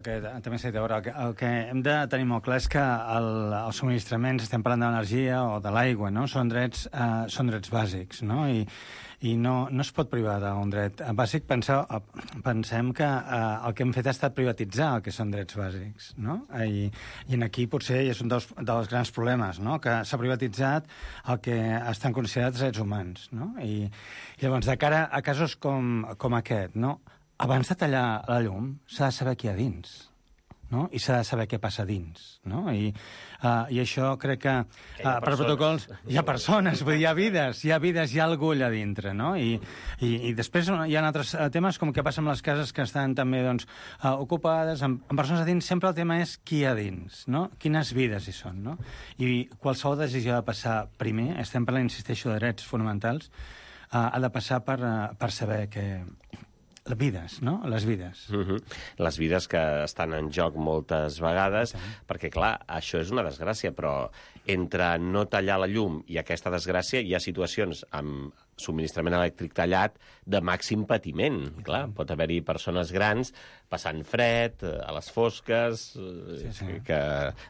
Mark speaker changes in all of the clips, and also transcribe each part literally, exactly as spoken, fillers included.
Speaker 1: Que també s'ha dit, a veure, el que, el que hem de tenir molt clar és que el, els subministraments, estem parlant de l'energia o de l'aigua, no? Són drets, eh, són drets bàsics, no? I, i no, no es pot privar d'un dret bàsic. Penseu, pensem que eh, el que hem fet ha estat privatitzar el que són drets bàsics, no? I, i aquí potser és un dels, dels grans problemes, no? Que s'ha privatitzat el que estan considerats drets humans, no? I, i llavors, de cara a casos com, com aquest, no? Abans de tallar la llum, s'ha de saber què hi ha dins, no? I s'ha de saber què passa dins, no? I, uh, i això crec que, uh, per protocols, hi ha persones, vull dir, hi ha vides, hi ha vides, hi ha algú allà dintre, no? I, i, i després hi ha altres temes, com què passa amb les cases que estan també, doncs, uh, ocupades, amb, amb persones a dins. Sempre el tema és qui hi ha dins, no? Quines vides hi són, no? I qualsevol decisió ha de passar primer, estem parlant, insisteixo, de drets fonamentals, uh, ha de passar per, uh, per saber que... Les vides, no? Les vides.
Speaker 2: Uh-huh. Les vides que estan en joc moltes vegades, sí. Perquè, clar, això és una desgràcia, però entre no tallar la llum i aquesta desgràcia hi ha situacions amb subministrament elèctric tallat de màxim patiment. Sí, clar, sí. Pot haver-hi persones grans passant fred, a les fosques, sí, sí. Que,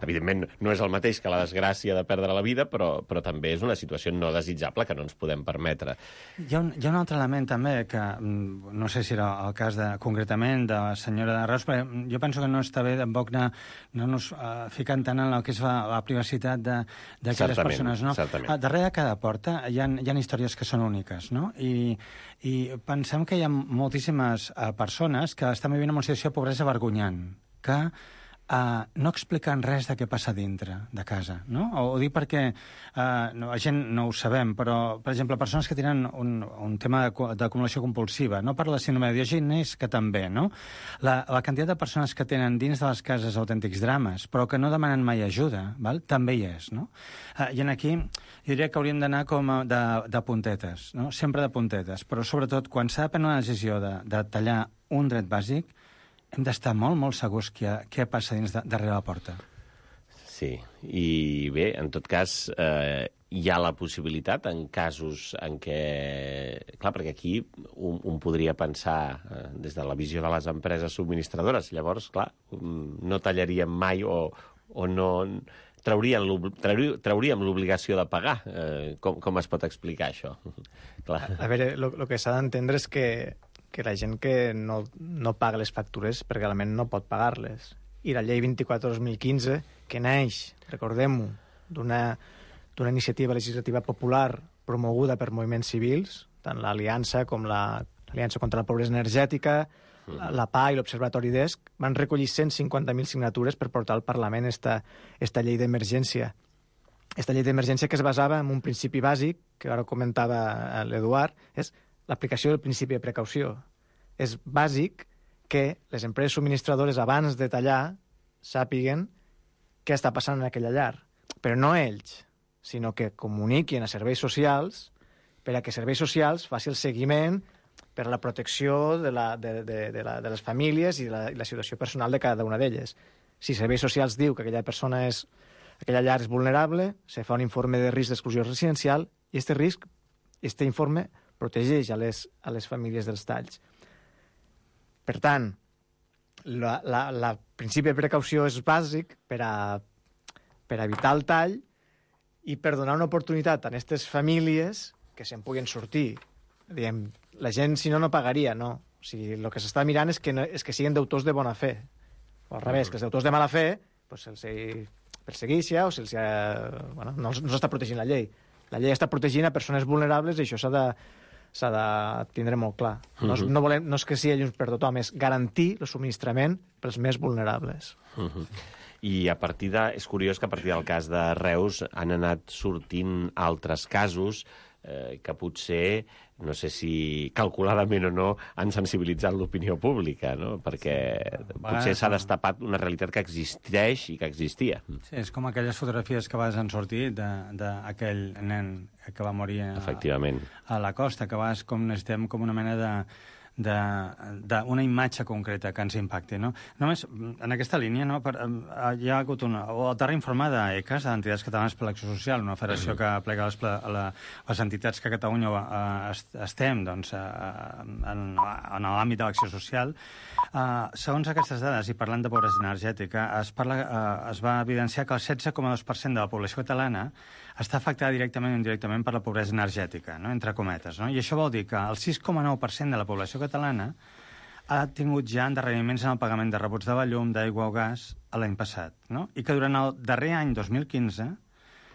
Speaker 2: evidentment, no és el mateix que la desgràcia de perdre la vida, però, però també és una situació no desitjable que no ens podem permetre.
Speaker 1: Hi ha un, hi ha un altre element, també, que no sé si era el cas de, concretament de la senyora de Reus, però jo penso que no està bé tampoc anar, no nos uh, ficant tant en el que és la, la privacitat d'aquelles persones, no?
Speaker 2: Certament.
Speaker 1: Uh, darrere de cada porta hi ha, hi ha històries que són úniques, no? I, i pensem que hi ha moltíssimes uh, persones que estan vivint en una situació de pobresa vergonyant, que uh, no expliquen res de què passa dintre de casa, no? O, ho dic perquè uh, no, la gent no ho sabem, però, per exemple, persones que tenen un, un tema d'acumulació compulsiva, no per la síndrome de Diògenes, que també, no? La, la quantitat de persones que tenen dins de les cases autèntics drames, però que no demanen mai ajuda, val? També hi és, no? Uh, I en aquí jo diria que hauríem d'anar com a de, de puntetes, no? Sempre de puntetes, però sobretot quan s'ha de prendre una decisió de, de tallar un dret bàsic, hem d'estar molt, molt segurs què, què passa dins de, darrere la porta.
Speaker 2: Sí, i bé, en tot cas, eh, hi ha la possibilitat en casos en què... Clar, perquè aquí un, un podria pensar eh, des de la visió de les empreses subministradores. Llavors, clar, no tallaríem mai o, o no... Traurien trauríem l'obligació de pagar. Eh, com, com es pot explicar això? Clar.
Speaker 3: A, a veure, el que s'ha d'entendre és que, que la gent que no, no paga les factures perquè realment no pot pagar-les. I la llei vint-i-quatre dos mil quinze, que neix, recordem-ho, d'una d'una iniciativa legislativa popular promoguda per moviments civils, tant l'Aliança com l'Aliança la, contra la Pobresa Energètica, la, la P A i l'Observatori d'E S C, van recollir cent cinquanta mil signatures per portar al Parlament esta, esta llei d'emergència. Esta llei d'emergència que es basava en un principi bàsic, que ara comentava l'Eduard, és l'aplicació del principi de precaució. És bàsic que les empreses subministradores, abans de tallar, sàpiguen què està passant en aquella llar. Però no ells, sinó que comuniquin a serveis socials per a que serveis socials faci el seguiment per a la protecció de, la, de, de, de, la, de les famílies i de la, i la situació personal de cada una d'elles. Si serveis socials diu que aquella persona és, aquella llar és vulnerable, se fa un informe de risc d'exclusió residencial i aquest risc, aquest informe, protegeix a les, a les famílies dels talls. Per tant, la, la, la principi de precaució és bàsic per a, per a evitar el tall i per donar una oportunitat a aquestes famílies que se'n puguin sortir. Diem, la gent, si no, no pagaria, no. O sigui, el que s'està mirant és que, no, és que siguin deutors de bona fe. O al revés, que els deutors de mala fe pues, se'ls perseguixa o se'ls... Bueno, no, no s'està protegint la llei. La llei està protegint a persones vulnerables i això s'ha de, s'ha de tindre molt clar. No, uh-huh. no, volem, no és que sigui llums per tothom, és garantir el subministrament pels més vulnerables.
Speaker 2: Uh-huh. I a partir de... És curiós que a partir del cas de Reus han anat sortint altres casos eh, que potser, no sé si calculadament o no, han sensibilitzat l'opinió pública, no? Perquè potser s'ha destapat una realitat que existeix i que existia.
Speaker 1: Sí, és com aquelles fotografies que vas han sortit d'aquell nen que va morir a,
Speaker 2: efectivament,
Speaker 1: a la costa, que vas com necessitem com una mena de d'una imatge concreta que ens impacti. No? Només, en aquesta línia, no, per, hi ha hagut una... O el darrer informe d'ECAS, d'Entitats Catalanes per l'Acció Social, una federació que plega les, la, les entitats que a Catalunya eh, estem doncs, eh, en, en l'àmbit de l'acció social. Eh, segons aquestes dades, i parlant de pobresa energètica, es, parla, eh, es va evidenciar que el setze coma dos per cent de la població catalana està afectada directament o indirectament per la pobresa energètica, no? Entre cometes. No? I això vol dir que el sis coma nou per cent de la població catalana ha tingut ja endarreriments en el pagament de rebuts de la llum, d'aigua o gas l'any passat. No? I que durant el darrer any, dos mil quinze,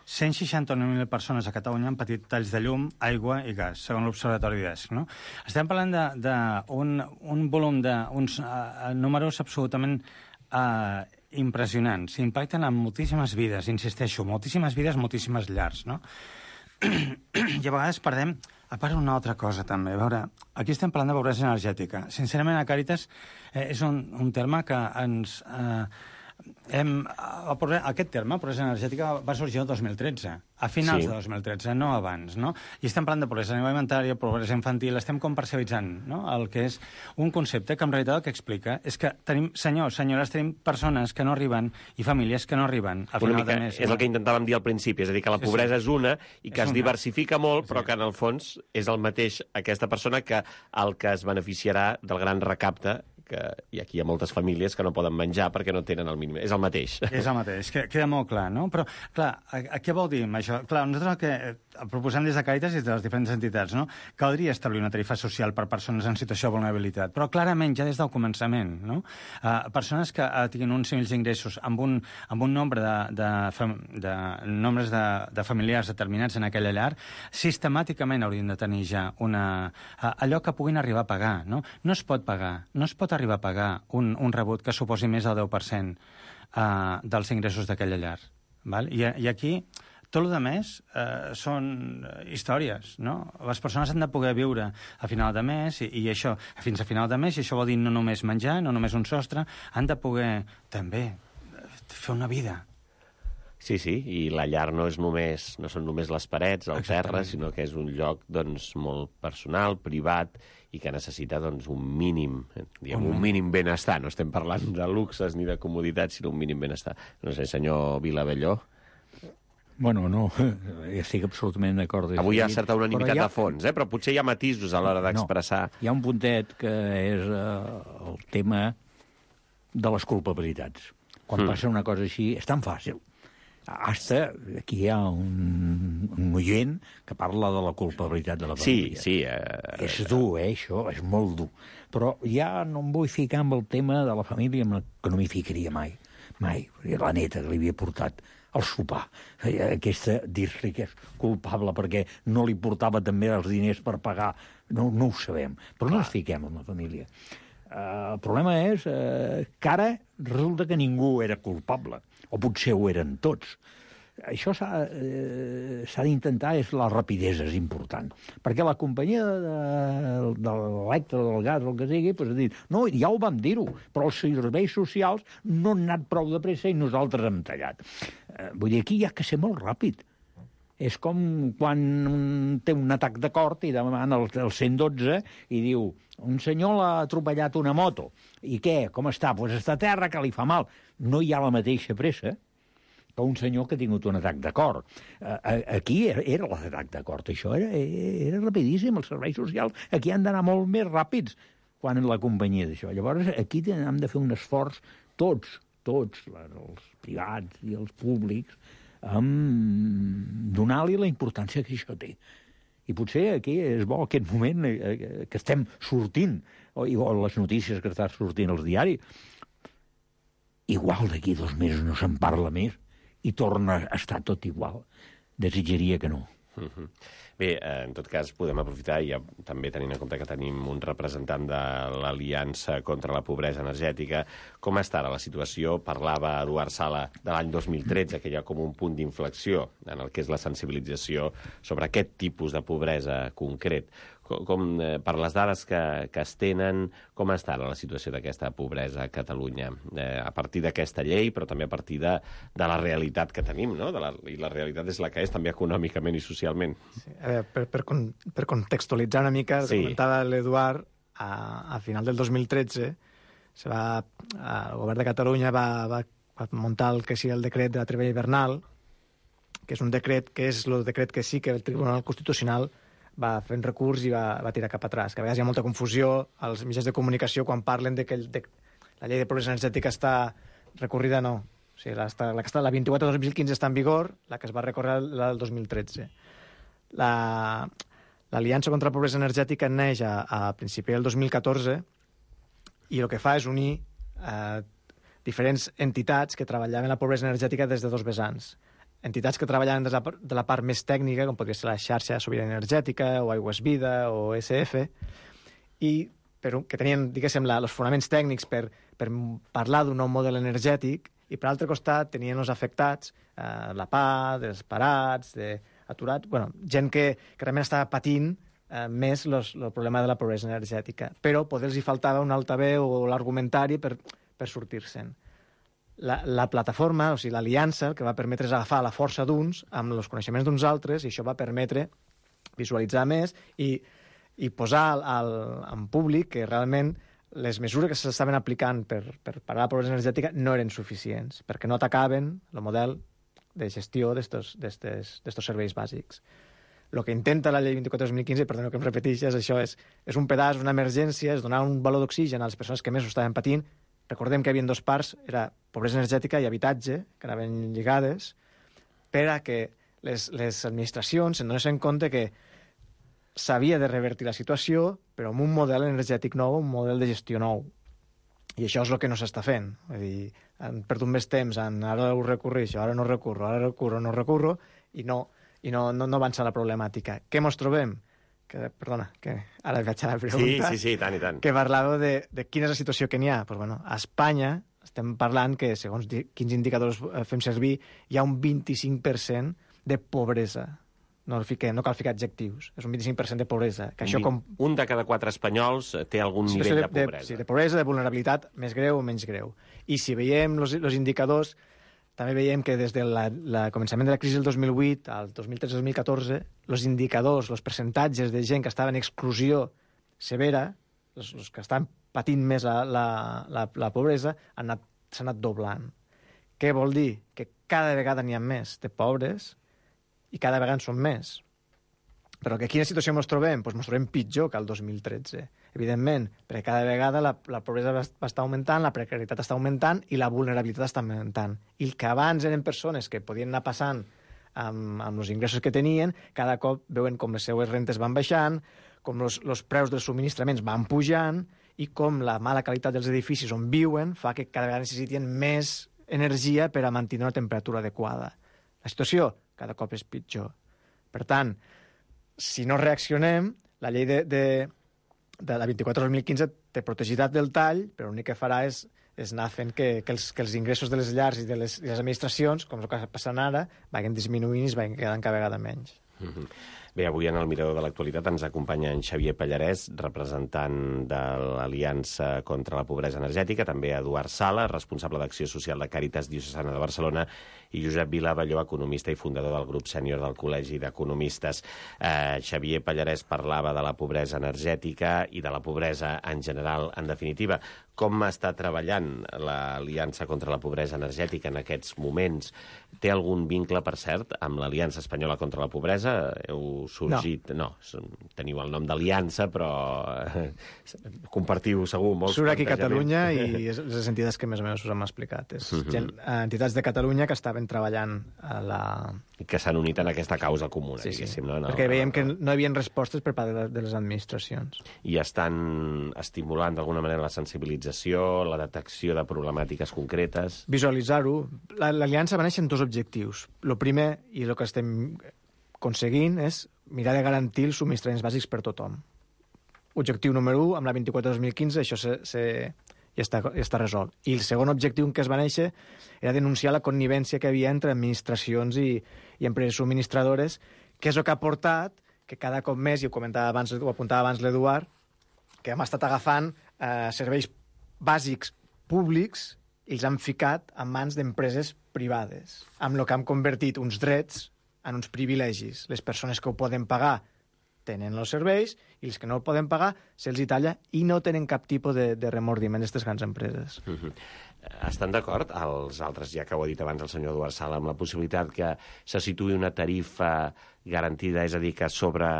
Speaker 1: cent seixanta-nou mil persones a Catalunya han patit talls de llum, aigua i gas, segons l'Observatori d'ESC. No? Estem parlant d'un un volum d'uns uh, números absolutament uh, impressionants. Impacten en moltíssimes vides, insisteixo, moltíssimes vides, moltíssimes llars, no? I a vegades perdem, a part una altra cosa també. A veure, aquí estem parlant de pobresa energètica. Sincerament, a Càritas eh, és un, un terme que ens... Eh, hem, aquest terme, pobresa energètica, va sorgir el dos mil tretze, a finals sí. de dos mil tretze, no abans, no? I estem parlant de pobresa alimentària, pobresa infantil, estem com parcialitzant, no?, el que és un concepte que en realitat el que explica és que tenim, senyors, senyores, tenim persones que no arriben i famílies que no arriben a final de mes.
Speaker 2: És el que intentàvem dir al principi, és a dir, que la pobresa sí, sí. és una i que és es una. diversifica molt, però sí. que en el fons és el mateix aquesta persona que el que es beneficiarà del gran recapte que i aquí hi ha moltes famílies que no poden menjar perquè no tenen el mínim. És el mateix.
Speaker 1: És el mateix, que, queda molt clar, no? Però, clar, a, a què vol dir això? Clar, nosaltres el que eh, proposem des de Càritas i des de les diferents entitats, no? Caldria establir una tarifa social per persones en situació de vulnerabilitat, però clarament ja des del començament, no? Uh, persones que uh, tinguin uns nivells d'ingressos amb un, amb un nombre de, de, de, de nombres de, de familiars determinats en aquella llar, sistemàticament haurien de tenir ja una, uh, allò que puguin arribar a pagar, no? No es pot pagar, no es pot arribar a pagar un, un rebut que suposi més del deu per cent uh, dels ingressos d'aquella llar. Val? I, I aquí tot el que més uh, són històries, no? Les persones han de poder viure a final de mes i, i això, fins a final de mes, i això vol dir no només menjar, no només un sostre, han de poder també fer una vida.
Speaker 2: Sí, sí, i la llar no és només, no són només les parets, el terra, sinó que és un lloc doncs, molt personal, privat, i que necessita doncs, un mínim, diguem, un mínim benestar. No estem parlant de luxes ni de comoditats, sinó un mínim benestar. No sé, senyor Vilabelló.
Speaker 4: Bueno, no, estic absolutament d'acord.
Speaker 2: Avui hi ha certa unanimitat ha... de fons, eh? Però potser hi ha matisos a l'hora d'expressar...
Speaker 4: No, hi ha un puntet que és uh, el tema de les culpabilitats. Quan mm. passa una cosa així, és tan fàcil. Hasta aquí hi ha un, un oient que parla de la culpabilitat de la família.
Speaker 2: Sí, sí. Uh,
Speaker 4: és dur, eh, això, és molt dur. Però ja no em vull ficar amb el tema de la família, que no m'hi ficaria mai. Mai. La neta que li havia portat al sopar. Aquesta, dir-li que és culpable perquè no li portava també els diners per pagar. No, no ho sabem. Però Clar. no ens fiquem amb la família. Uh, el problema és uh, que ara resulta que ningú era culpable. O potser ho eren tots. Això s'ha eh, d'intentar, és la rapidesa, és important. Perquè la companyia de, de l'electre, del gas, el que sigui, pues, ha dit, no, ja ho vam dir-ho, però els serveis socials no han anat prou de pressa i nosaltres hem tallat. Eh, vull dir, aquí hi ha que ser molt ràpid. És com quan té un atac de cor i demana el, el cent dotze i diu, un senyor l'ha atropellat una moto. I què? Com està? Doncs pues està a terra, que li fa mal. No hi ha la mateixa pressa que un senyor que ha tingut un atac de cor. Aquí era l'atac de cor. Això era, era rapidíssim. Els serveis socials aquí han d'anar molt més ràpids quan en la companyia d'això. Llavors, aquí hem de fer un esforç tots, tots, els privats i els públics, amb donar-li la importància que això té. I potser aquí és bo aquest moment eh, que estem sortint, o, o les notícies que estan sortint als diaris. Igual d'aquí dos mesos no se'n parla més i torna a estar tot igual. Desitjaria que no.
Speaker 2: Mm-hmm. Bé, en tot cas, podem aprofitar, i ja, també tenint en compte que tenim un representant de l'Aliança contra la Pobresa Energètica, com està ara la situació? Parlava Eduard Sala de l'any dos mil tretze, que hi ha com un punt d'inflexió en el que és la sensibilització sobre aquest tipus de pobresa concret. Com, com, eh, per les dades que, que es tenen, com està ara la situació d'aquesta pobresa a Catalunya? Eh, a partir d'aquesta llei, però també a partir de, de la realitat que tenim, no? De la, i la realitat és la que és, també econòmicament i socialment.
Speaker 3: Sí, a veure, per, per, per contextualitzar una mica, el que sí. comentava l'Eduard, a, a final del dos mil tretze, se va, el govern de Catalunya va, va, va muntar el que sigui el decret de la treva hivernal, que és un decret que és el decret que sí que el Tribunal Constitucional va fent recurs i va, va tirar cap atrás. Que a vegades hi ha molta confusió als mitjans de comunicació quan parlen de que el, de, la llei de pobresa energètica està recorrida, no. O sigui, la, la, que està, la vint-i-quatre dos mil quinze està en vigor, la que es va recórrer la del dos mil tretze. L'Aliança contra la Pobresa Energètica neix a, a principi del dos mil catorze i el que fa és unir eh, diferents entitats que treballaven la pobresa energètica des de dos vessants. Entitats que treballaven des de la, de la part més tècnica, com podria ser la xarxa sobirana energètica, o Aigües Vida, o E S F, i per, que tenien, diguéssim, la, els fonaments tècnics per, per parlar d'un nou model energètic, i per l'altre costat tenien els afectats, eh, la P A, dels parats, d'aturats, bueno, gent que, que realment estava patint eh, més el problema de la pobresa energètica. Però poder els hi faltava un altaveu o l'argumentari per, per sortir-se'n. La, la plataforma, o sigui, l'aliança, el que va permetre és agafar la força d'uns amb els coneixements d'uns altres, i això va permetre visualitzar més i, i posar al, al, en públic que realment les mesures que s'estaven aplicant per, per parar la pobresa energètica no eren suficients, perquè no atacaven el model de gestió d'estos serveis bàsics. El que intenta la llei vint-i-quatre dos mil quinze, perdoneu que em repeteixi, és això, és, és un pedaç, una emergència, és donar un valor d'oxigen a les persones que més ho estaven patint. Recordem que hi havia dos parts, era pobresa energètica i habitatge, que anaven lligades, per a que les, les administracions se'n donessin compte que s'havia de revertir la situació, però amb un model energètic nou, un model de gestió nou. I això és el que no s'està fent. Vull dir, han perdut més temps en ara ho recurreixo, ara no recurro, ara recurro, no recurro, i no, i no, no, no avança la problemàtica. Què mos trobem? Que, perdona, que ara vaig a la pregunta.
Speaker 2: Sí, sí, sí, i tant, i tant.
Speaker 3: Que parlàveu de, de quina és la situació que n'hi ha. Pues, bueno, a Espanya estem parlant que, segons quins indicadors fem servir, hi ha un vint-i-cinc per cent de pobresa. No, fiquem, no cal ficar adjectius. És un vint-i-cinc per cent de pobresa. Que un, això com...
Speaker 2: un de cada quatre espanyols té algun nivell de, de pobresa.
Speaker 3: De, sí, de pobresa, de vulnerabilitat, més greu o menys greu. I si veiem els indicadors, també veiem que des del de començament de la crisi del dos mil vuit al dos mil tretze dos mil catorze, els indicadors, els percentatges de gent que estava en exclusió severa, els, els que estan patint més la, la, la, la pobresa, s'han anat, anat doblant. Què vol dir? Que cada vegada n'hi ha més de pobres i cada vegada en són més. Però que quina situació ens trobem? Doncs ens trobem pitjor que el dos mil tretze. Evidentment, perquè cada vegada la, la pobresa va, va estar augmentant, la precarietat està augmentant i la vulnerabilitat està augmentant. I el que abans eren persones que podien anar passant amb, amb els ingressos que tenien, cada cop veuen com les seues rentes van baixant, com els preus dels subministraments van pujant i com la mala qualitat dels edificis on viuen fa que cada vegada necessiten més energia per a mantenir una temperatura adequada. La situació cada cop és pitjor. Per tant, si no reaccionem, la llei de, de, de la vint-i-quatre dos mil quinze té protegitat del tall, però l'únic que farà és, és anar fent que, que, els, que els ingressos de les llars i de les, de les administracions, com és el que està passant ara, vagin disminuint i es vagin quedant cada vegada menys.
Speaker 2: Mm-hmm. Bé, avui en el Mirador de l'Actualitat ens acompanya en Xavier Pallarès, representant de l'Aliança contra la Pobresa Energètica, també Eduard Sala, responsable d'Acció Social de Càritas Diocesana de Barcelona, i Josep Vila Balló, economista i fundador del grup sènior del Col·legi d'Economistes. Eh, Xavier Pallarès parlava de la pobresa energètica i de la pobresa en general, en definitiva. Com està treballant l'Aliança contra la Pobresa Energètica en aquests moments? Té algun vincle, per cert, amb l'Aliança Espanyola contra la Pobresa? Heu sorgit... No, no teniu el nom d'Aliança, però eh, compartiu segur molts
Speaker 3: Surt aquí a Catalunya i és les entitats que més o menys us hem explicat. És uh-huh. gent, entitats de Catalunya que estaven treballant a la...
Speaker 2: I que s'han unit en aquesta causa comuna,
Speaker 3: sí, sí.
Speaker 2: no? No,
Speaker 3: perquè
Speaker 2: no,
Speaker 3: veiem
Speaker 2: no,
Speaker 3: que no hi havia respostes per part de les administracions.
Speaker 2: I estan estimulant d'alguna manera la sensibilització, la detecció de problemàtiques concretes...
Speaker 3: Visualitzar-ho. L'Aliança va néixer en dos objectius. El primer, i el que estem aconseguint, és mirar de garantir els subministraments bàsics per tothom. Objectiu número u, amb la vint-i-quatre dos mil quinze, això se, se, ja, està, ja està resolt. I el segon objectiu en què es va néixer era denunciar la connivència que hi havia entre administracions i, i empreses subministradores, que és el que ha portat que cada cop més, i ho comentava abans, ho apuntava abans l'Eduard, que hem estat agafant eh, serveis bàsics públics i els han ficat en mans d'empreses privades, amb el que han convertit uns drets en uns privilegis. Les persones que ho poden pagar tenen els serveis i els que no el poden pagar se'ls hi talla i no tenen cap tipus de, de remordiment d'aquestes grans empreses.
Speaker 2: Mm-hmm. Estan d'acord els altres, ja que ho ha dit abans el senyor Eduard Sala, amb la possibilitat que se situï una tarifa garantida, és a dir, que sobre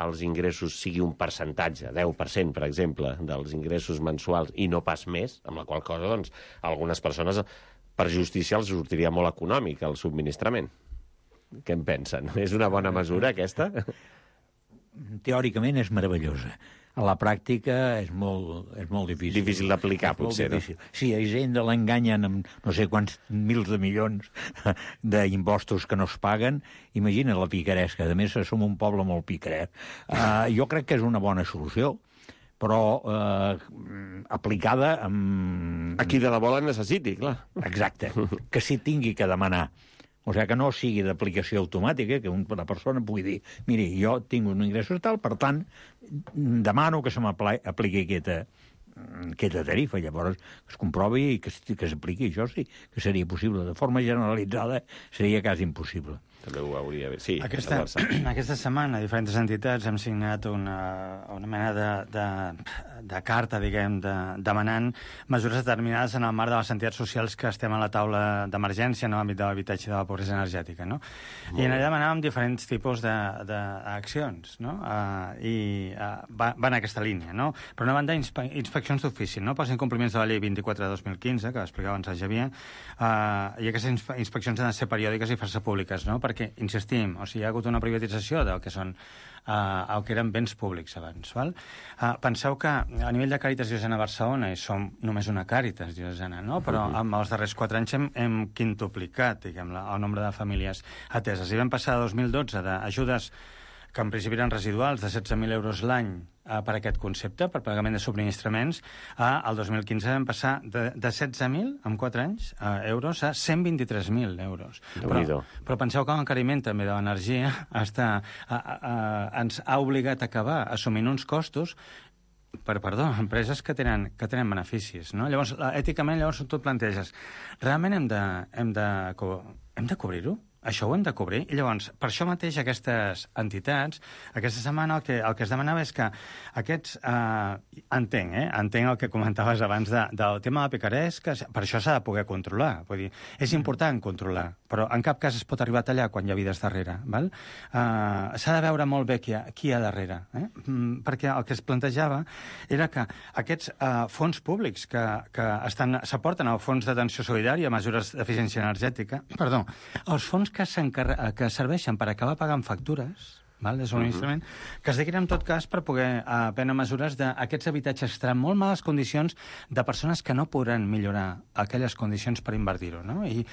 Speaker 2: els ingressos sigui un percentatge, deu per cent, per exemple, dels ingressos mensuals i no pas més, amb la qual cosa, doncs, algunes persones, per justícia, els sortiria molt econòmic el subministrament. Què en pensen? És una bona mesura, aquesta?
Speaker 4: Teòricament és meravellosa. A la pràctica és molt, és molt difícil.
Speaker 2: Difícil d'aplicar, potser, no?
Speaker 4: Sí, a Hisenda l'enganyen amb no sé quants mils de milions d'impostos que no es paguen. Imagina la picaresca. A més, som un poble molt picaret. Uh, jo crec que és una bona solució, però uh, aplicada amb...
Speaker 2: A qui de debò la necessiti, clar.
Speaker 4: Exacte. Que s'hi tingui que demanar. O sigui, que no sigui d'aplicació automàtica, que una persona pugui dir, miri, jo tinc un ingrés tal, per tant, demano que se m'apliqui aquesta, aquesta tarifa. Llavors, que es comprovi i que, que s'apliqui. Això sí que seria possible. De forma generalitzada seria quasi impossible.
Speaker 2: També ho hauria de... Sí,
Speaker 1: aquesta, aquesta setmana diferents entitats hem signat una, una mena de, de, de carta, diguem, de, demanant mesures determinades en el marc de les entitats socials que estem a la taula d'emergència en l'àmbit de l'habitatge i de la pobresa energètica, no? Molt I en allà demanàvem diferents tipus d'accions, no? Uh, I uh, va, va en aquesta línia, no? Per una banda, inspe inspeccions d'ofici, no? Pels incompliments de la llei vint-i-quatre de dos mil quinze, que explicava abans el Xavier, uh, i aquestes inspe inspeccions han de ser periòdiques i fer-se públiques, no? Perquè, insistim, o sigui, hi ha hagut una privatització del que són uh, el que eren béns públics abans. Val? Uh, penseu que a nivell de Càritas Diocesana a Barcelona, i som només una Càritas Diocesana, no? Però en els darrers quatre anys hem, hem quintuplicat, diguem, el nombre de famílies ateses. I vam passar a dos mil dotze d'ajudes que en principi eren residuals, de setze mil euros l'any eh, per aquest concepte, per pagament de subministraments, a, al dos mil quinze vam passar de, de setze mil, en quatre anys, eh, euros, a cent vint-i-tres mil euros. Però, però penseu que l'encariment també de l'energia està, a, a, a, ens ha obligat a acabar assumint uns costos per, perdó, empreses que tenen, que tenen beneficis, no? Llavors, èticament, llavors tu et planteges, realment hem de, hem de, hem de cobrir-ho? Això ho hem de cobrir. I llavors, per això mateix, aquestes entitats, aquesta setmana el que, el que es demanava és que aquests... Eh, entenc, eh? Entenc el que comentaves abans de, del tema de la picaresca, per això s'ha de poder controlar. Vull dir, és important controlar, però en cap cas es pot arribar a tallar quan hi ha vides darrere. Val? Eh, s'ha de veure molt bé qui hi ha, qui hi ha darrere. Eh? Mm, perquè el que es plantejava era que aquests eh, fons públics que, que s'aporten al Fons d'Atenció Solidària, mesures d'eficiència energètica, perdó, els fons que, que serveixen per acabar pagant factures, val, de subministrament, uh-huh. que es dediquin en tot cas per poder uh, prendre mesures d'aquests habitatges que estaran en molt males condicions de persones que no podran millorar aquelles condicions per invertir-ho, no? I,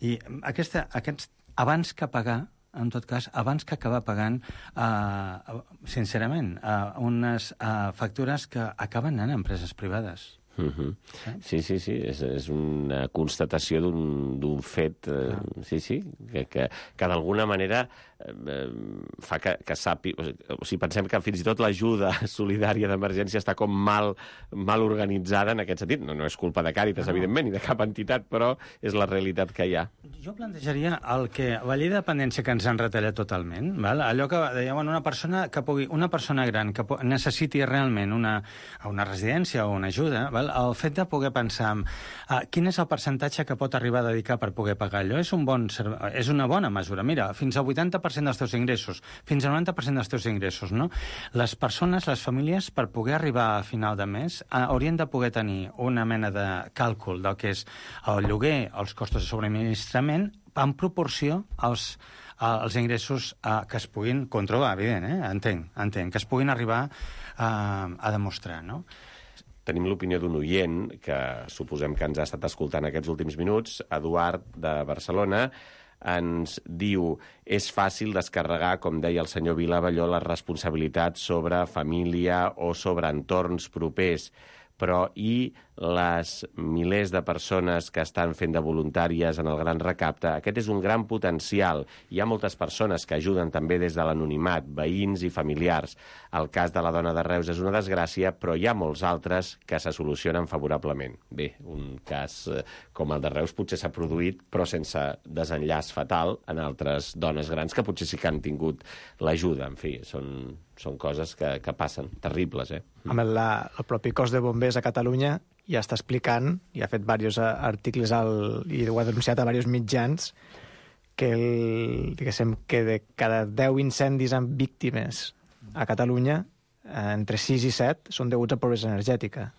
Speaker 1: i aquesta, aquests, abans que pagar, en tot cas, abans que acabar pagant, uh, sincerament, uh, unes uh, factures que acaben anant a empreses privades.
Speaker 2: Uh-huh. Sí, sí, sí, és, és una constatació d'un fet, eh, ah. sí, sí, que, que, que d'alguna manera eh, fa que, que sàpi... O sigui, pensem que fins i tot l'ajuda solidària d'emergència està com mal, mal organitzada en aquest sentit. No, no és culpa de Càritas, no. evidentment, ni de cap entitat, però és la realitat que hi ha.
Speaker 1: Jo plantejaria el que la llei de dependència que ens han retallat totalment, val? Allò que deia, bueno, una persona que pugui, una persona gran que necessiti realment una, una residència o una ajuda, val? El fet de poder pensar en uh, quin és el percentatge que pot arribar a dedicar per poder pagar allò és, un bon, és una bona mesura. Mira, fins al vuitanta per cent dels teus ingressos, fins al noranta per cent dels teus ingressos, no? Les persones, les famílies, per poder arribar a final de mes, uh, haurien de poder tenir una mena de càlcul del que és el lloguer, els costos de subministrament, en proporció als, als ingressos uh, que es puguin controlar, evident, eh? Entenc, entenc, que es puguin arribar uh, a demostrar, no?
Speaker 2: Tenim l'opinió d'un oient, que suposem que ens ha estat escoltant aquests últims minuts, Eduard, de Barcelona, ens diu: és fàcil descarregar, com deia el senyor Vila Abelló, la responsabilitat sobre família o sobre entorns propers, però i les milers de persones que estan fent de voluntàries en el Gran Recapte? Aquest és un gran potencial. Hi ha moltes persones que ajuden també des de l'anonimat, veïns i familiars. El cas de la dona de Reus és una desgràcia, però hi ha molts altres que se solucionen favorablement. Bé, un cas eh, com el de Reus potser s'ha produït, però sense desenllaç fatal en altres dones grans que potser sí que han tingut l'ajuda. En fi, són, són coses que, que passen, terribles, eh?
Speaker 3: Amb el, la, el propi cos de bombers a Catalunya ja està explicant, i ha fet diversos articles al, i ho ha denunciat a diversos mitjans, que, el, diguéssim, que de cada deu incendis amb víctimes a Catalunya, eh, entre sis i set són deguts a pobresa energètica.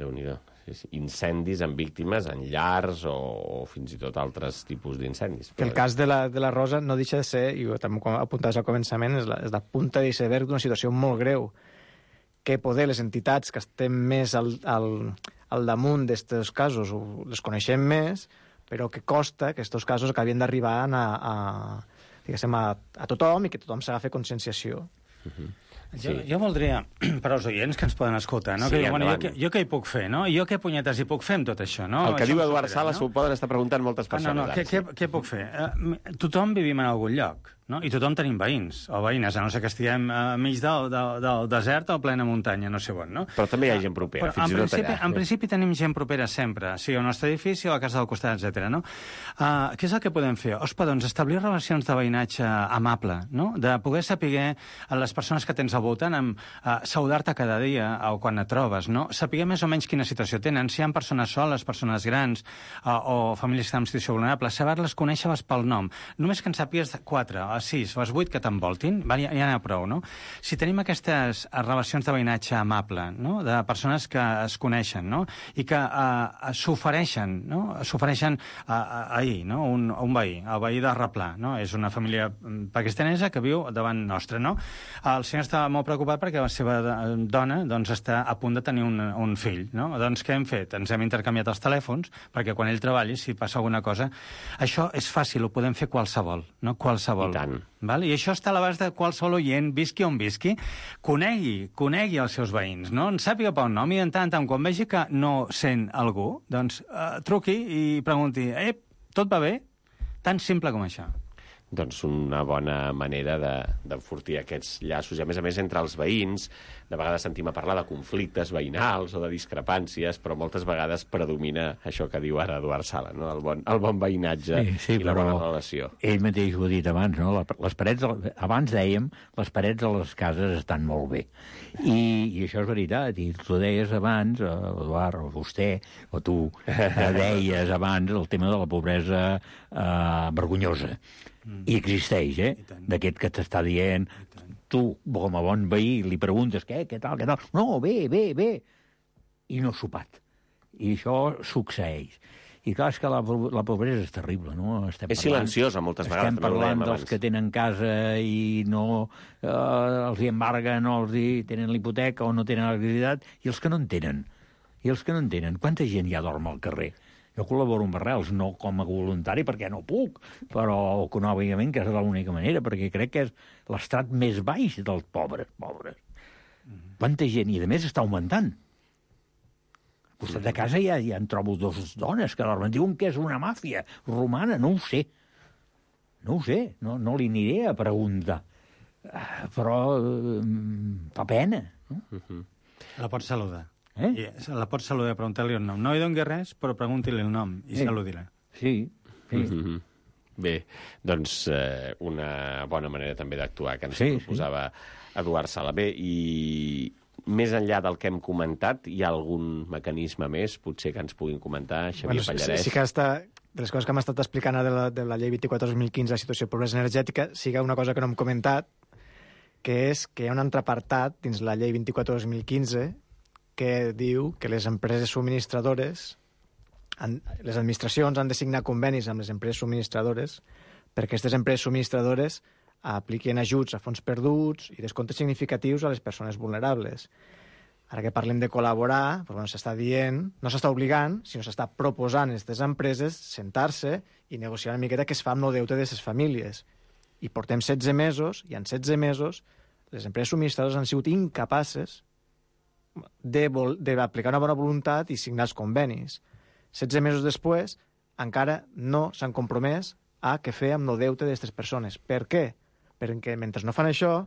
Speaker 2: Déu-n'hi-do. Sí, sí. Incendis amb víctimes en llars o, o fins i tot altres tipus d'incendis.
Speaker 3: Que el cas de la, de la Rosa no deixa de ser, i ho també apuntaves al començament, és la, és la punta d'iceberg d'una situació molt greu, que poder les entitats que estem més al, al, al damunt d'aquests casos les coneixem més, però que costa que aquests casos acabin d'arribar a, a, diguéssim, a, a tothom i que tothom s'agafi conscienciació.
Speaker 2: Uh-huh.
Speaker 1: Sí. Jo, jo voldria, per als oients que ens poden escoltar, no?
Speaker 2: Sí,
Speaker 1: que diuen, jo,
Speaker 2: endavant.
Speaker 1: jo què hi puc fer, no? Jo què punyetes hi puc fer amb tot això, no?
Speaker 2: El que
Speaker 1: això
Speaker 2: diu Eduard
Speaker 1: supera,
Speaker 2: Sala s'ho poden estar preguntant moltes
Speaker 1: Ah,
Speaker 2: persones.
Speaker 1: no, no, què, què, què puc fer? Uh, tothom vivim en algun lloc, no? I tothom tenim veïns o veïnes, a no ser que estiguem uh, mig del, del, del desert o plena muntanya, no sé on, no?
Speaker 2: Però també hi ha gent propera,
Speaker 1: Però,
Speaker 2: fins
Speaker 1: en
Speaker 2: i tot
Speaker 1: principi,
Speaker 2: allà.
Speaker 1: En principi tenim gent propera sempre, sigui al nostre edifici o a la casa del costat, etcètera. No? Uh, què és el que podem fer? Ospa, doncs, establir relacions de veïnatge amable, no? De poder saber a les persones que tens al voltant, amb, uh, saludar-te cada dia o quan et trobes, no? Saber més o menys quina situació tenen, si hi ha persones soles, persones grans uh, o famílies que estan en situació vulnerable, saber-les, conèixer-les pel nom. Només que en sàpigues quatre, o sis, o vuit que t'envoltin, ja, ja n'hi ha prou, no? Si tenim aquestes relacions de veïnatge amable, no? De persones que es coneixen, no? I que uh, s'ofereixen, no? S'ofereixen uh, ahir, no? Un, un veí, el veí de Replà, no? És una família pakistanesa que viu davant nostre, no? El senyor està molt preocupat perquè la seva dona doncs, està a punt de tenir un, un fill, no? Doncs què hem fet? Ens hem intercanviat els telèfons perquè quan ell treballi, si passa alguna cosa... Això és fàcil, ho podem fer qualsevol, no? Qualsevol.
Speaker 2: I tant.
Speaker 1: Val? I això està a l'abast de qualsevol oient, visqui on visqui, conegui, conegui els seus veïns, no? En sàpiga pel nom i en tant, tant quan vegi que no sent algú, doncs uh, truqui i pregunti, eh, tot va bé? Tan simple com això.
Speaker 2: Doncs una bona manera d'enfortir aquests llaços. I a més a més, entre els veïns, de vegades sentim a parlar de conflictes veïnals o de discrepàncies, però moltes vegades predomina això que diu ara Eduard Sala, no? el, bon, el bon veïnatge
Speaker 4: sí, sí,
Speaker 2: i la bona relació.
Speaker 4: Ell mateix ho ha dit abans, no? Les parets, abans dèiem, les parets de les cases estan molt bé. I, i això és veritat, i tu deies abans, Eduard, o vostè, o tu deies abans el tema de la pobresa eh, vergonyosa. Mm. I existeix, eh? D'aquest que t'està dient, tu, com a bon veí, li preguntes què, què tal, què tal. No, bé, bé, bé. I no sopat. I això succeeix. I clar, és que la, la pobresa és terrible, no? Estem
Speaker 2: és parlant, silenciosa, moltes
Speaker 4: estem
Speaker 2: vegades.
Speaker 4: Estem parlant dels que tenen casa i no eh, els hi embarguen, o els hi tenen l'hipoteca o no tenen l'activitat, i els que no en tenen. I els que no en tenen. Quanta gent ja dorm al carrer? Jo col·laboro amb Arrels, no com a voluntari, perquè no puc, però econòmicament, que és l'única manera, perquè crec que és l'estrat més baix dels pobres, pobres. Mm-hmm. Quanta gent, i a més està augmentant. Al costat de casa ja, ja en trobo dues dones que dormen. Diuen que és una màfia romana, no ho sé. No ho sé, no, no li aniré a preguntar. Uh, però uh, fa pena. No?
Speaker 2: Mm-hmm.
Speaker 1: La pots saludar.
Speaker 4: Eh?
Speaker 1: I la pots saludar, preguntar-li el nom. No hi doni res, però pregunti-li el nom i eh. saludi-la.
Speaker 4: Sí, sí.
Speaker 2: Mm-hmm. Bé, doncs eh, una bona manera també d'actuar que ens
Speaker 4: sí,
Speaker 2: proposava
Speaker 4: sí.
Speaker 2: Eduard Sala. Bé, i més enllà del que hem comentat, hi ha algun mecanisme més, potser que ens puguin comentar, Xavier
Speaker 3: bueno,
Speaker 2: Pallarès?
Speaker 3: Sí, sí que està, de les coses que hem estat explicant de la, de la llei vint-i-quatre dos mil quinze, la situació de pobresa energètica, siga una cosa que no hem comentat, que és que hi ha un altre apartat dins la llei vint-i-quatre dos mil quinze que diu que les empreses subministradores, han, les administracions han de signar convenis amb les empreses subministradores perquè aquestes empreses subministradores apliquin ajuts a fons perduts i descomptes significatius a les persones vulnerables. Ara que parlem de col·laborar, doncs, bueno, s'està dient, no s'està obligant, sinó s'està proposant a aquestes empreses sentar-se i negociar una miqueta què es fa amb el deute de les famílies. I portem setze mesos, i en setze mesos les empreses subministradores han sigut incapaces d'aplicar una bona voluntat i signar els convenis. setze mesos després, encara no s'han compromès a què fer amb el deute d'aquestes persones. Per què? Perquè mentre no fan això,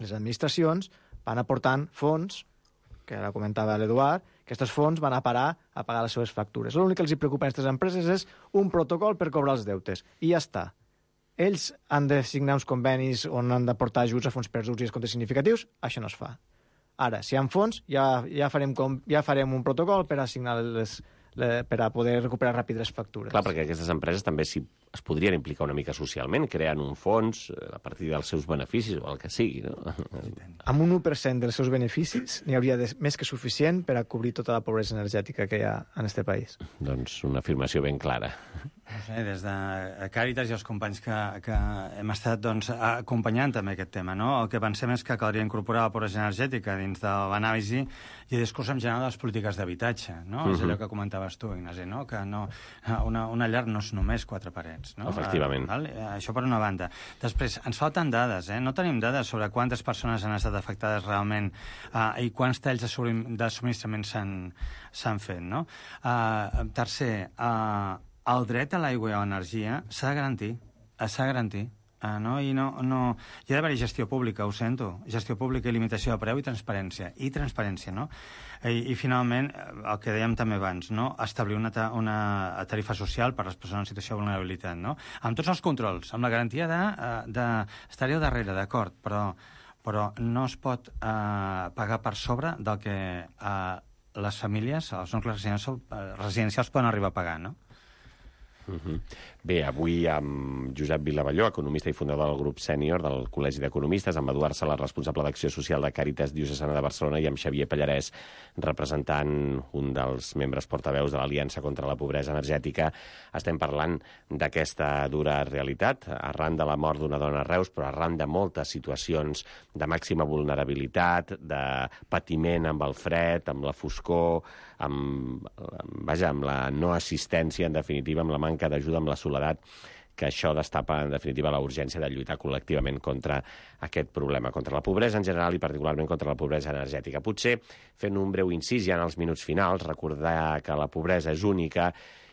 Speaker 3: les administracions van aportant fons, que ara comentava l'Eduard, que aquests fons van a parar a pagar les seves factures. L'únic que els preocupa a aquestes empreses és un protocol per cobrar els deutes. I ja està. ells han de signar uns convenis on han d'aportar ajuts a fons perduts i descomptes significatius, això no es fa. Ara, si hi ha fons, ja, ja, farem com, ja farem un protocol per assignar les, les, per a poder recuperar ràpid les factures.
Speaker 2: Clar, perquè aquestes empreses també si es podrien implicar una mica socialment, creant un fons a partir dels seus beneficis o el que sigui, no?
Speaker 3: Amb un u per cent dels seus beneficis n'hi hauria de, més que suficient per a cobrir tota la pobresa energètica que hi ha en aquest país.
Speaker 2: Doncs una afirmació ben clara.
Speaker 1: No sé, des de Càritas i els companys que, que hem estat doncs, acompanyant també aquest tema, no? El que pensem és que caldria incorporar la pobresa energètica dins de l'anàlisi i el discurs en general de les polítiques d'habitatge, no? Uh-huh. És allò que comentaves tu, Ignasi, no? Que no, una, una llar no és només quatre parets, no?
Speaker 2: Efectivament.
Speaker 1: Uh, això per una banda. Després, ens falten dades, eh? No tenim dades sobre quantes persones han estat afectades realment uh, i quants talls de, de subministrament s'han fet, no? Uh, tercer, uh, el dret a l'aigua i a l'energia s'ha de garantir, s'ha de garantir, uh, no? I no, no... Hi ha d'haver-hi gestió pública, ho sento, gestió pública i limitació de preu i transparència, i transparència, no? I, i finalment, el que dèiem també abans, no? Establir una, ta una tarifa social per a les persones en situació de vulnerabilitat, no? Amb tots els controls, amb la garantia d'estar-hi de, de, al darrere, d'acord, però, però no es pot eh, pagar per sobre del que eh, les famílies, els nuclis residencials, residencials poden arribar a pagar, no?
Speaker 2: Uh-huh. Bé, avui amb Josep Vilavalló, economista i fundador del grup sènior del Col·legi d'Economistes, amb Eduard Sala, responsable d'Acció Social de Càritas Diocesana de Barcelona, i amb Xavier Pallarès, representant un dels membres portaveus de l'Aliança contra la Pobresa Energètica, estem parlant d'aquesta dura realitat, arran de la mort d'una dona a Reus, però arran de moltes situacions de màxima vulnerabilitat, de patiment amb el fred, amb la foscor, amb, vaja, amb la no assistència, en definitiva, amb la manca d'ajuda, amb la soledat, que això destapa, en definitiva, la urgència de lluitar col·lectivament contra aquest problema, contra la pobresa en general i particularment contra la pobresa energètica. Potser, fent un breu incís ja en els minuts finals, recordar que la pobresa és única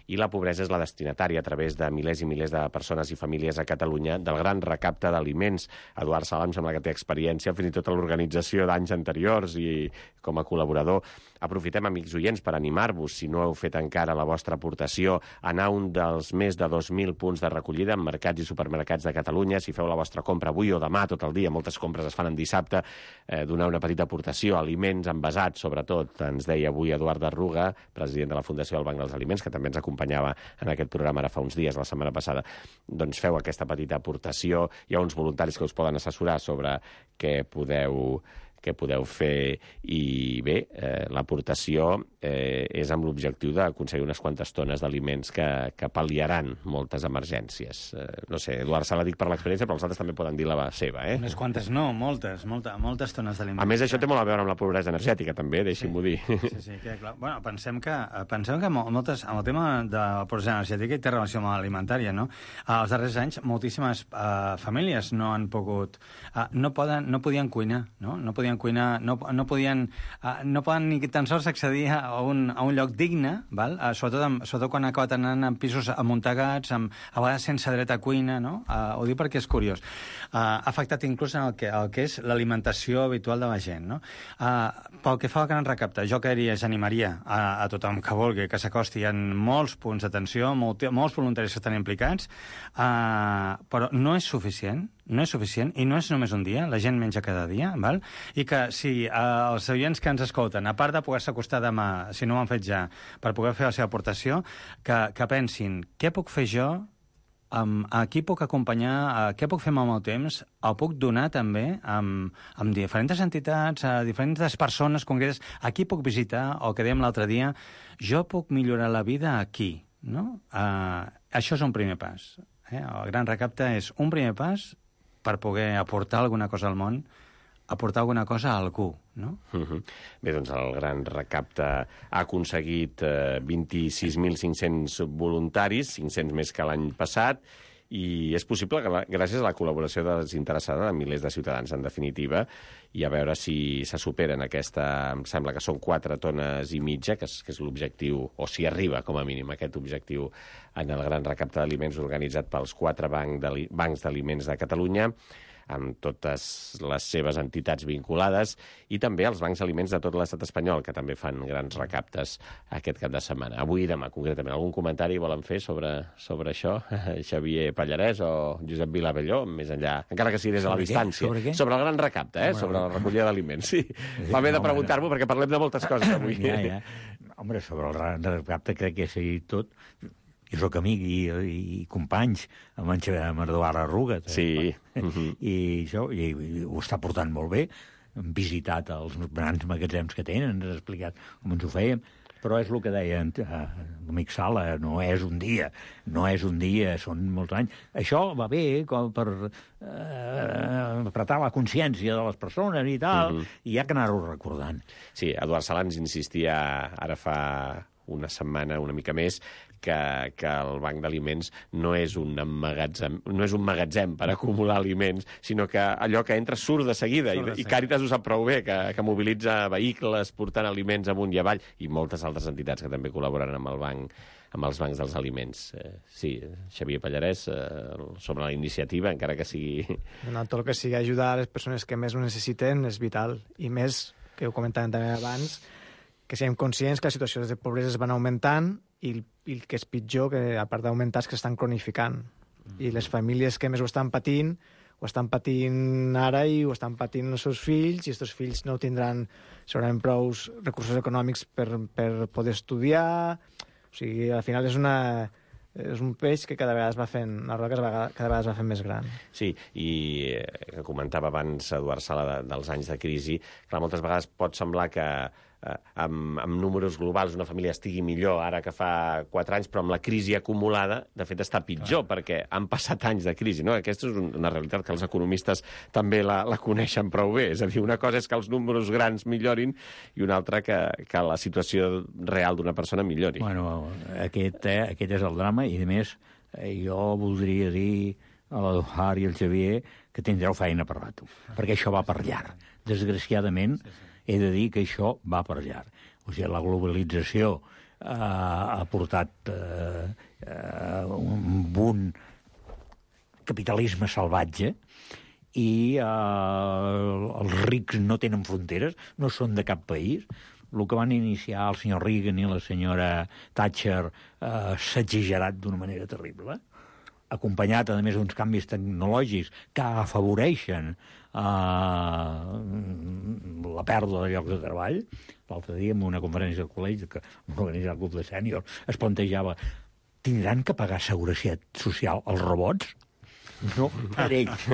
Speaker 2: i la pobresa és la destinatària a través de milers i milers de persones i famílies a Catalunya del gran recapte d'aliments. Eduard Sala, em sembla que té experiència fins i tot a l'organització d'anys anteriors i com a col·laborador. Aprofitem, amics oients, per animar-vos, si no heu fet encara la vostra aportació, a anar a un dels més de dos mil punts de recollida en mercats i supermercats de Catalunya. Si feu la vostra compra avui o demà, tot el dia, moltes compres es fan en dissabte, eh, donar una petita aportació, aliments envasats, sobretot, ens deia avui Eduard Arruga, president de la Fundació del Banc dels Aliments, que també ens acompanyava en aquest programa ara fa uns dies, la setmana passada. Doncs feu aquesta petita aportació. Hi ha uns voluntaris que us poden assessorar sobre què podeu que podeu fer i bé, eh, l'aportació eh, és amb l'objectiu d'aconseguir unes quantes tones d'aliments que, que pal·liaran moltes emergències. Eh, no sé, Eduard Sala, dic per l'experiència, però els altres també poden dir la seva, eh?
Speaker 1: Unes quantes no, moltes, molta, moltes tones d'aliments.
Speaker 2: A més, això té molt a veure amb la pobresa energètica, també, deixi'm-ho
Speaker 1: sí,
Speaker 2: dir.
Speaker 1: Sí, sí, que clar. Bueno, pensem que, pensem que moltes, amb el tema de la pobresa energètica hi té relació amb l'alimentària, no? Els darrers anys, moltíssimes uh, famílies no han pogut, uh, no, poden, no podien cuinar, no? No podien cuinar, no, no podien uh, no poden ni tan sols accedir a un, a un lloc digne, val? Uh, sobretot, amb, sobretot quan han acabat anant en pisos amuntegats, amb, a vegades sense dret a cuina, no? Uh, ho dic perquè és curiós. Uh, ha afectat inclús en el que, el que és l'alimentació habitual de la gent, no? Uh, pel que fa al gran recapte, jo que diria, animaria a, a tothom que vulgui que s'acosti. Hi ha molts punts d'atenció, molt, molts voluntaris que estan implicats, uh, però no és suficient, no és suficient, i no és només un dia, la gent menja cada dia, val? I que si eh, els oients que ens escolten, a part de poder-se acostar demà, si no ho han fet ja, per poder fer la seva aportació, que, que pensin, què puc fer jo, um, a qui puc acompanyar, a què puc fer amb el meu temps, el puc donar també amb, amb diferents entitats, a diferents persones concretes, a qui puc visitar, o que dèiem l'altre dia, jo puc millorar la vida aquí, no? Uh, això és un primer pas. Eh? El gran recapte és un primer pas per poder aportar alguna cosa al món, aportar alguna cosa a algú, no?
Speaker 2: Uh-huh. Bé, doncs el gran recapte ha aconseguit eh, vint-i-sis mil cinc-cents voluntaris, cinc-cents més que l'any passat, i és possible que la, gràcies a la col·laboració desinteressada de milers de ciutadans, en definitiva, i a veure si se superen aquesta, em sembla que són quatre tones i mitja, que és, que és l'objectiu, o si arriba, com a mínim, aquest objectiu en el gran recapte d'aliments organitzat pels quatre banc bancs d'aliments de Catalunya. amb totes les seves entitats vinculades, i també els bancs aliments de tot l'estat espanyol, que també fan grans recaptes aquest cap de setmana. Avui i demà, concretament. Algun comentari volen fer sobre, sobre això? Xavier Pallarès o Josep Vilavelló, més enllà, encara que sigui des de la
Speaker 4: Sobre
Speaker 2: distància.
Speaker 4: Sobre què?
Speaker 2: Sobre el gran recapte, eh? Sobre la recollida d'aliments. Sí. Fa bé de preguntar-m'ho perquè parlem de moltes coses avui.
Speaker 4: Ja, ja. Home, sobre el recapte crec que s'ha dit tot. Jo soc amic i, i companys amb en, amb Eduard Arruga.
Speaker 2: Sí.
Speaker 4: Uh-huh. I això, i, i ho està portant molt bé. Hem visitat els grans magatzems que tenen, ens ha explicat com ens ho fèiem, però és el que deia l'amic Sala, no és un dia, no és un dia, són molts anys. Això va bé com per eh, apretar la consciència de les persones i tal, uh-huh. i hi ha que anar-ho recordant.
Speaker 2: Sí, Eduard Sala ens insistia ara fa una setmana, una mica més, que, que el banc d'aliments no és un magatzem, no és un magatzem per acumular aliments, sinó que allò que entra surt de seguida, surt de i, i Càritas ho sap prou bé, que, que mobilitza vehicles portant aliments amunt i avall, i moltes altres entitats que també col·laboren amb el banc, amb els bancs dels aliments. Eh, sí, Xavier Pallarès, eh, sobre la iniciativa, encara que sigui...
Speaker 3: No, tot el que sigui ajudar a les persones que més ho necessiten és vital, i més, que ho comentàvem també abans, que siguem conscients que les situacions de pobresa es van augmentant i, i el que és pitjor, que a part d'augmentar, és que estan cronificant. Mm. I les famílies que més ho estan patint, ho estan patint ara i ho estan patint els seus fills, i els fills no tindran segurament prou recursos econòmics per, per poder estudiar. O sigui, al final és una... és un peix que cada vegada es va fent, una roda que cada vegada es va fent més gran.
Speaker 2: Sí, i eh, comentava abans Eduard Sala de, dels anys de crisi, clar, moltes vegades pot semblar que eh, amb, amb números globals una família estigui millor ara que fa quatre anys, però amb la crisi acumulada, de fet, està pitjor, clar, perquè han passat anys de crisi, no? Aquesta és una realitat que els economistes també la, la coneixen prou bé. És a dir, una cosa és que els números grans millorin i una altra que, que la situació real d'una persona millori.
Speaker 4: Bueno, aquest, eh, aquest és el drama, i a més, eh, jo voldria dir a l'Eduard i al Xavier que tindreu feina per rato, perquè això va per llarg. Desgraciadament, he de dir que això va per llarg. O sigui, la globalització eh, ha portat eh, eh, un bon capitalisme salvatge, i eh, els rics no tenen fronteres, no són de cap país. El que van iniciar el senyor Reagan i la senyora Thatcher eh, s'ha exagerat d'una manera terrible, acompanyat, a més, d'uns canvis tecnològics que afavoreixen eh, la pèrdua de llocs de treball. L'altre dia, en una conferència del col·legi que organitza el club de sèniors, es plantejava: tindran que pagar seguretat social els robots? No, per ells.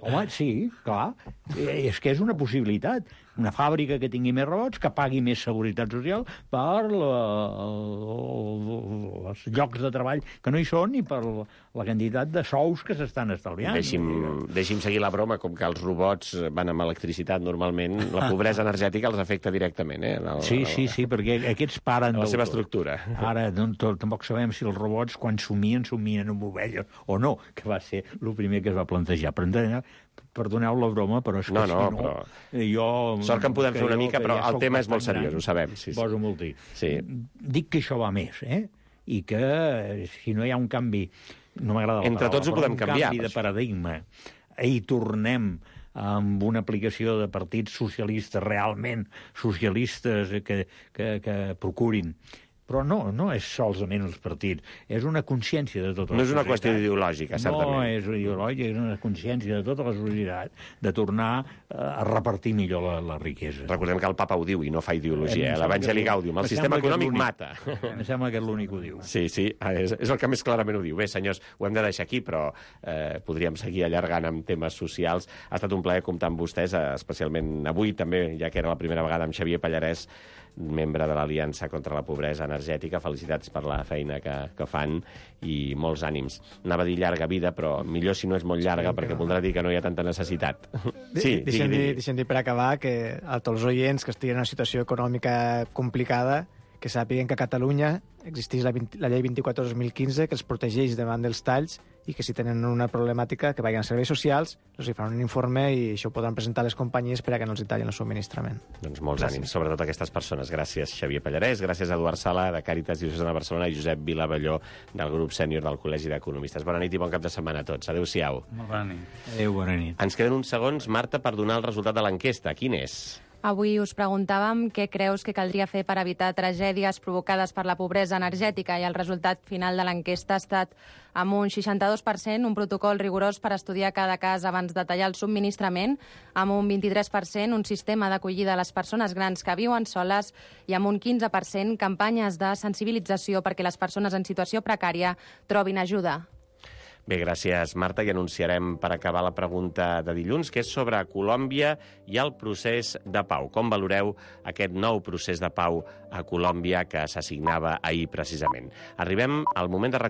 Speaker 4: Home, sí, clar. És que és una possibilitat. Una fàbrica que tingui més robots, que pagui més seguretat social per la, els llocs de treball que no hi són i per la quantitat de sous que s'estan estalviant.
Speaker 2: Deixi'm, deixi'm seguir la broma, com que els robots van amb electricitat normalment, la pobresa energètica els afecta directament, eh? El,
Speaker 4: sí, sí, sí, perquè aquests paren...
Speaker 2: La seva estructura.
Speaker 4: Ara no, tampoc sabem si els robots, quan somien, somien amb ovelles o no, que va ser el primer que es va plantejar. Perdoneu la broma, però és que
Speaker 2: no, no,
Speaker 4: si no...
Speaker 2: Però...
Speaker 4: Jo,
Speaker 2: sort que en podem fer una mica, però
Speaker 4: ja
Speaker 2: el tema és molt seriós,
Speaker 4: gran,
Speaker 2: ho sabem. Sí, sí.
Speaker 4: Poso molt dir.
Speaker 2: Sí.
Speaker 4: Dic que això va més, eh? I que si no hi ha un canvi... No m'agrada la
Speaker 2: Entre
Speaker 4: paraula,
Speaker 2: tots ho podem
Speaker 4: un
Speaker 2: canviar.
Speaker 4: canvi de paradigma i tornem amb una aplicació de partits socialistes, realment socialistes, que, que, que procurin. Però no, no és solament els partits, és una consciència de tota la societat.
Speaker 2: No és una qüestió ideològica, certament.
Speaker 4: No és ideològica, és una consciència de tota la societat de tornar a repartir millor la, la riquesa.
Speaker 2: Recordem que el papa ho diu i no fa ideologia, eh? L'Evangeli Gaudium. El sistema econòmic mata.
Speaker 4: Em sembla que és l'únic que ho diu.
Speaker 2: Sí, sí, és, és el que més clarament ho diu. Bé, senyors, ho hem de deixar aquí, però eh, podríem seguir allargant amb temes socials. Ha estat un plaer comptar amb vostès, especialment avui també, ja que era la primera vegada, amb Xavier Pallarès, membre de l'Aliança contra la Pobresa Energètica. Felicitats per la feina que, que fan i molts ànims. Anava a dir llarga vida, però millor si no és molt llarga, sí, perquè voldrà dir que no hi ha tanta necessitat. Sí,
Speaker 3: deixem dir, deixem dir per acabar que a tots els oients que estiguin en una situació econòmica complicada, que sàpiguen que a Catalunya existeix la, la llei vint-i-quatre dos mil quinze que els protegeix davant dels talls i que si tenen una problemàtica que vagin a serveis socials, els hi faran un informe i això ho podran presentar a les companyies per a que no els hi tallin el subministrament.
Speaker 2: Doncs molts gràcies. Ànims, sobretot a aquestes persones. Gràcies, Xavier Pallarès, gràcies a Eduard Sala, de Càritas Diocesana de Barcelona, i Josep Vilavelló, del grup sènior del Col·legi d'Economistes. Bona nit i bon cap de setmana a tots. Adéu-siau.
Speaker 1: Molt bona nit.
Speaker 4: Adéu, bona nit.
Speaker 2: Ens queden uns segons, Marta, per donar el resultat de l'enquesta. Quin és?
Speaker 5: Avui us preguntàvem què creus que caldria fer per evitar tragèdies provocades per la pobresa energètica i el resultat final de l'enquesta ha estat amb un seixanta-dos per cent, un protocol rigorós per estudiar cada cas abans de tallar el subministrament, amb un vint-i-tres per cent, un sistema d'acollida a les persones grans que viuen soles i amb un quinze per cent, campanyes de sensibilització perquè les persones en situació precària trobin ajuda.
Speaker 2: Bé, gràcies, Marta, i anunciarem per acabar la pregunta de dilluns, que és sobre Colòmbia i el procés de pau. Com valoreu aquest nou procés de pau a Colòmbia que s'assignava ahir precisament? Arribem al moment de recordar